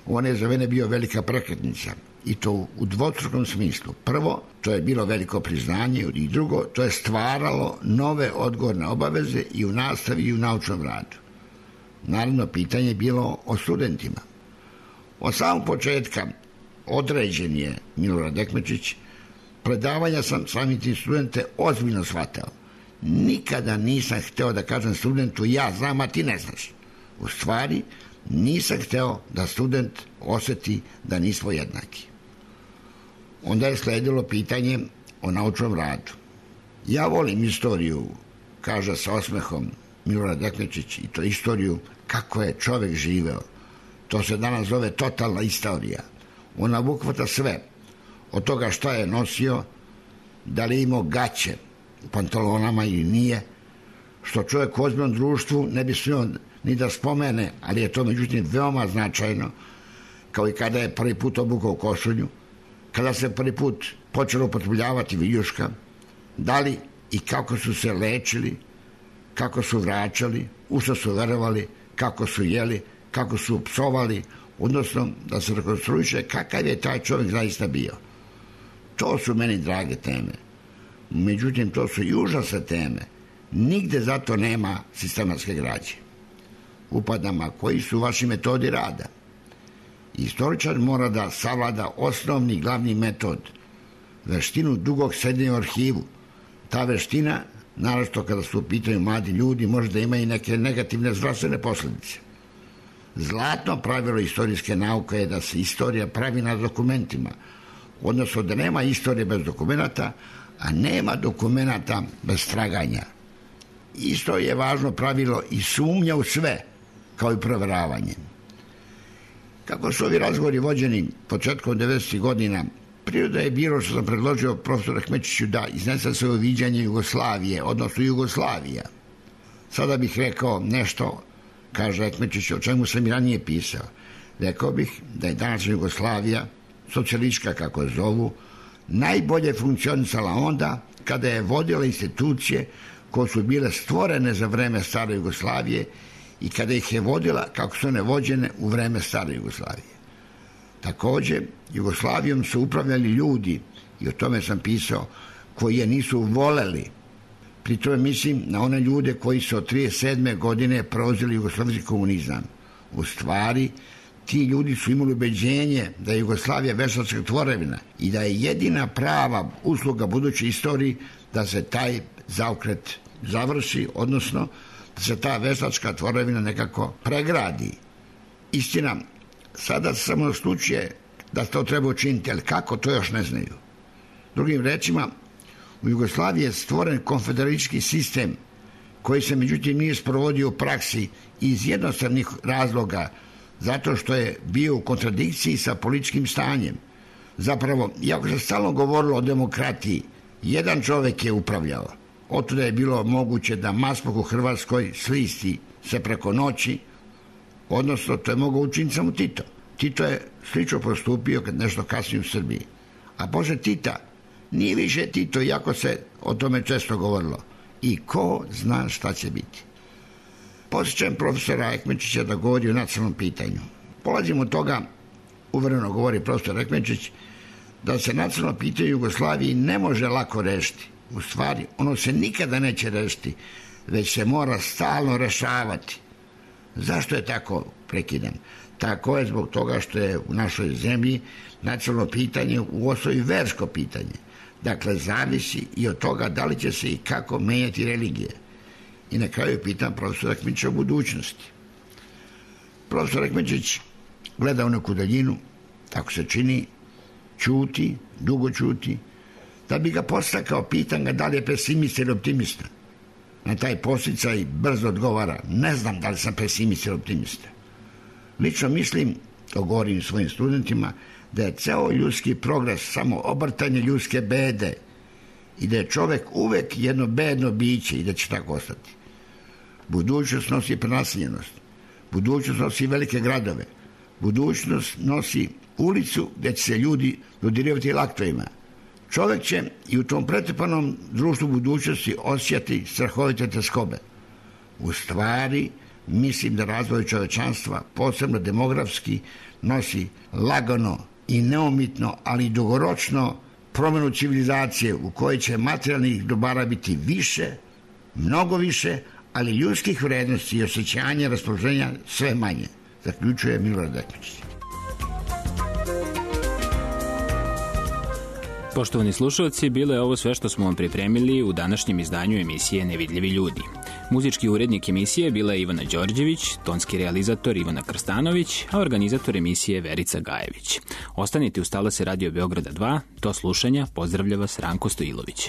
On je za mene bio velika prekretnica i to u dvostrukom smislu. Prvo, to je bilo veliko priznanje i drugo, to je stvaralo nove odgovorne obaveze i u nastavi i u naučnom radu. Naravno, pitanje je bilo o studentima. Od samog početka određen je Milorad Dekmečić, predavanja sam samim tim studente ozbiljno shvatao. Nikada nisam hteo da kažem studentu ja znam, a ti ne znaš. U stvari, nisam hteo da student oseti da nismo jednaki. Onda je sledilo pitanje o naučnom radu. Ja volim istoriju, kaže sa osmehom Milorad Dekmečić, i to istoriju kako je čovek živeo. To se danas zove totalna istorija. Ona obuhvata sve. Od toga šta je nosio, da li je imao gaće u pantalonama ili nije, što čovjek u ozbiljnom društvu ne bi smio ni da spomene, ali je to međutim veoma značajno, kao i kada je prvi put obukao košulju, kada se prvi put počelo upotrebljavati viljuška, da li i kako su se lečili, kako su vraćali, u što su verovali, kako su jeli, kako su psovali, odnosno da se rekonstruiše kakav je taj čovjek zaista bio. To su meni drage teme. Međutim, to su i užasne teme. Nigde zato nema sistematske građe. Upadam, a koji su vaši metodi rada? Istoričar mora da savlada osnovni glavni metod, veštinu dugog sedenja u arhivu. Ta veština, naročito kada su u pitanju mladi ljudi, može da ima i neke negativne zdravstvene posledice. Zlatno pravilo istorijske nauke je da se istorija pravi na dokumentima, odnosno da nema istorije bez dokumenata, a nema dokumenata bez traganja. Isto je važno pravilo i sumnja u sve, kao i proveravanje. Kako su ovi razgovori vođeni početkom 90. godina, priroda je bilo što sam predložio profesoru Ekmečiću da iznese svoje viđanje Jugoslavije, odnosno Jugoslavija. Sada bih rekao nešto, kaže Ekmečić, o čemu sam i ranije pisao. Rekao bih da je danas Jugoslavija, socijalistička kako je zovu, najbolje funkcionisala onda kada je vodila institucije koje su bile stvorene za vreme stare Jugoslavije i kada ih je vodila kako su one vođene u vreme stare Jugoslavije. Takođe, Jugoslavijom su upravljali ljudi, i o tome sam pisao, koji je nisu voleli. Pri tome mislim na one ljude koji su od 1937. godine preuzeli jugoslovenski komunizam. U stvari, ti ljudi su imali ubeđenje da je Jugoslavija veštačka tvorevina i da je jedina prava usluga budućoj istoriji da se taj zaokret završi, odnosno da se ta veštačka tvorevina nekako pregradi. Istina, sada se samo slučuje da to treba učiniti, ali kako, to još ne znaju. Drugim rečima, u Jugoslaviji je stvoren konfederalistički sistem koji se međutim nije sprovodio u praksi iz jednostavnih razloga, zato što je bio u kontradikciji sa političkim stanjem. Zapravo, iako se stalno govorilo o demokratiji, jedan čovek je upravljao. Otuda je bilo moguće da maspok u Hrvatskoj slisti se preko noći, odnosno to je mogao učiniti samo Tito. Tito je slično postupio kad nešto kasnije u Srbiji. A posle Tita nije više Tito, iako se o tome često govorilo. I ko zna šta će biti. Posjećam profesora Ekmečića da govori o nacionalnom pitanju. Polazimo od toga, uvereno govori profesor Ekmečić, da se nacionalno pitanje Jugoslaviji ne može lako rešiti. U stvari, ono se nikada neće rešiti, već se mora stalno rešavati. Zašto je tako? Prekidam. Tako je zbog toga što je u našoj zemlji nacionalno pitanje u osnovi versko pitanje. Dakle, zavisi i od toga da li će se i kako menjati religije. I na kraju pitam profesora Ekmečića o budućnosti. Profesor Ekmečić gleda u neku daljinu, tako se čini, ćuti, dugo ćuti, da bi ga postakao, pitan ga da li je pesimista ili optimista. Na taj posticaj brzo odgovara, ne znam da li sam pesimista ili optimista. Lično mislim, to govorim svojim studentima, da je ceo ljudski progres samo obrtanje ljudske bede i da je čovek uvek jedno bedno biće i da će tako ostati. Budućnost nosi prenaseljenost, budućnost nosi velike gradove, budućnost nosi ulicu gde će se ljudi dodirivati laktovima. Čovek će i u tom pretrpanom društvu budućnosti osjećati strahovite teskobe. U stvari, mislim da razvoj čovečanstva, posebno demografski, nosi lagano i neumitno, ali i dugoročno promenu civilizacije u kojoj će materijalnih dobara biti više, mnogo više, ali ljudskih vrednosti i osjećanja raspoloženja sve manje, zaključuje Milorad Dekmečić. Poštovani slušalci, bilo je ovo sve što smo vam pripremili u današnjem izdanju emisije Nevidljivi ljudi. Muzički urednik emisije bila je Ivana Đorđević, tonski realizator Ivana Krstanović, a organizator emisije Verica Gajević. Ostanite uz talase Radio Beograda 2, do slušanja, pozdravlja vas Ranko Stojilović.